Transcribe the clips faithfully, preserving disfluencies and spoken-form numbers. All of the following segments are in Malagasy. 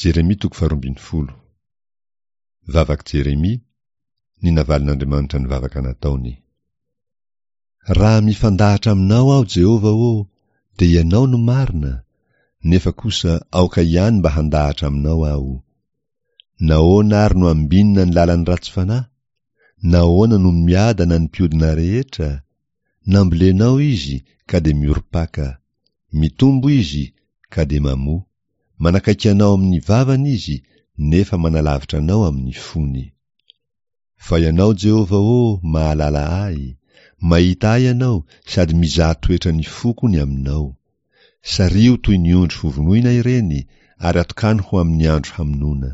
Jeremia toko faharoa ambin'ny folo. Vavak'i Jeremia, ny navalin'Andriamanitra ny vavaka nataony. Raha mifandahatra aminao aho, Jehovah ô, dia Ianao no marina, nefa kosa aoka ihany mba handahatra aminao aho. Nahoana ary no ambinina ny lalan'ny ratsy fanahy? Nahoana no miadana ny mpiodina rehetra? Nambolenao izy ka dia miorim-paka. Mitombo izy ka dia mamoa. Manakaiky anao amin'ny vavany izy, nefa manalavitra anao amin'ny fony. Fa Ianao, Jehovah ô, mahalala ahy, mahita ahy Ianao sady mizaha toetra ny foko ny aminao. Sariho toy ny ondry hovonoina ireny ary atokano ho amin'ny andro hamonoana.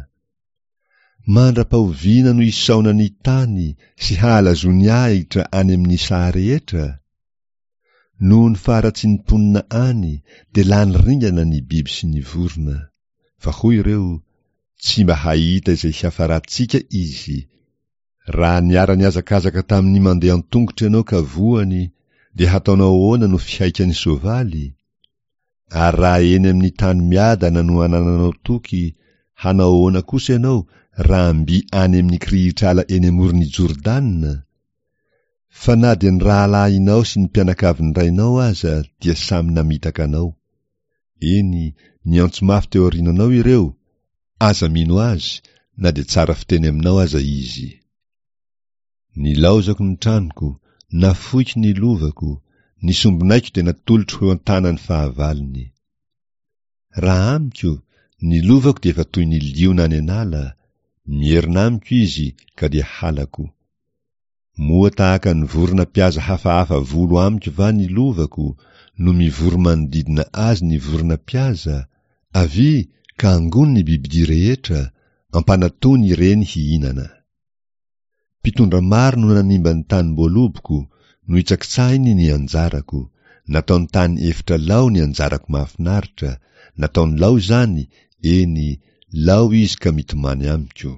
Mandra-pahoviana no hisaona ny tany sy hahalazoany ahitra any amin'ny saha rehetra? Noho ny faharatsian'ny mponina any dia lany ringana ny biby sy ny vorona. Fa hoy ireo, Tsy mba hahita izay hiafarantsika izy. Raha niara-nihazakazaka tamin'ny mandeha an-tongotra ianao ka voany, dia hataonao ahoana no fihaikan'ny soavaly? Ary raha eny amin'ny tany miadana no anananao toky, hanao ahoana kosa ianao raha mby any amin'ny kirihitr'ala eny amoron'i Jordana? Fa na dia ny rahalahinao sy ny mpianakavin'ny rainao aza dia samy namitaka anao. Eny, niantso mafy teo aoriananao ireo, aza mino azy na dia tsara fiteny aminao aza izy. Nilaozako ny tranoko, nafoiko ny lovako, ny sombinaiko dia natolotro ho eo an-tanan'ny fahavalony. Raha amiko, ny lovako dia efa toy ny liona any an'ala, mierona amiko izy ka dia halako. Moa tahaka ny vorona mpihaza hafahafa volo amiko va ny lovako, no mivory manodidina azy ny vorona mpihaza? Avia, ka angony ny bibidia rehetra, ampanatony ireny hihinana. Mpitondra maro no nanimba ny tanim-boaloboko, nohitsakitsahiny ny anjarako, nataony tany efitra lao ny anjarako mahafinaritra, nataony lao izany, eny, lao izy ka mitomany amiko.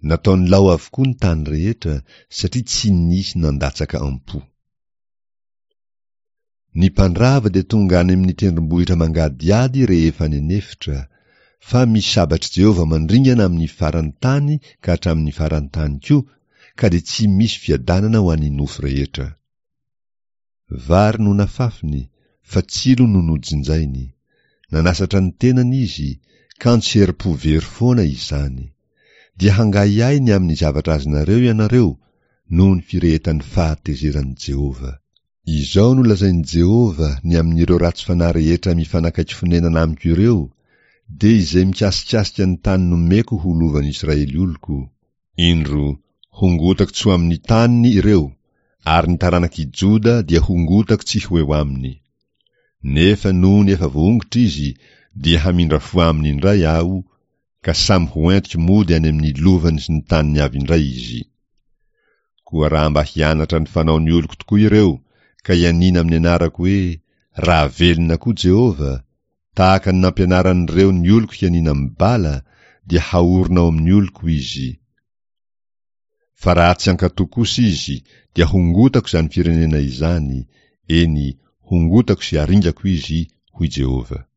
Nataony lao avokoa ny tany rehetra, satria tsy nisy nandatsaka am-po. Ny mpandrava dia tonga any amin'ny tendrombohitra mangadihady rehefa any an'efitra, fa misy sabatr'i Jehovah mandringana amin'ny faran'ny tany ka hatramin'ny faran'ny tany koa, ka dia tsy misy fiadanana ho an'ny nofo rehetra. Vary no nafafiny, fa tsilo no nojinjainy. Nanasatra ny tenany izy, kanjo herim-po very foana izany. Dia hangahiahy ny amin'ny zavatra azonareo ianareo, noho ny firehetan'ny fahatezeran'i Jehovah. Izao no lazain'i Jehovah ny amin'ireo ratsy fanahy rehetra mifanakaiky fonenana amiko ireo, dia izay mikasikasika ny tany nomeko ho lovan'ny Israely oloko, Indro, hongotako tsy ho amin'ny taniny ireo, ary ny taranak'i Joda dia hongotako tsy ho eo aminy. Nefa nony efa voaongotra izy, dia hamindra fo aminy indray Aho, ka samy ho entiko mody any amin'ny lovany sy ny taniny avy indray izy. Koa raha mba hianatra ny fanaon'ny oloko tokoa ireo, ka hianiana amin'ny anarako hoe, Raha velona koa Jehovah, tahaka ny nampianaran'ireo ny oloko hianiana amin'ny bala, dia haorina ao amin'ny oloko izy. Fa raha tsy hankatò kosa izy, dia hongotako izany firenena izany, eny, hongotako sy haringako izy, hoy Jehovah.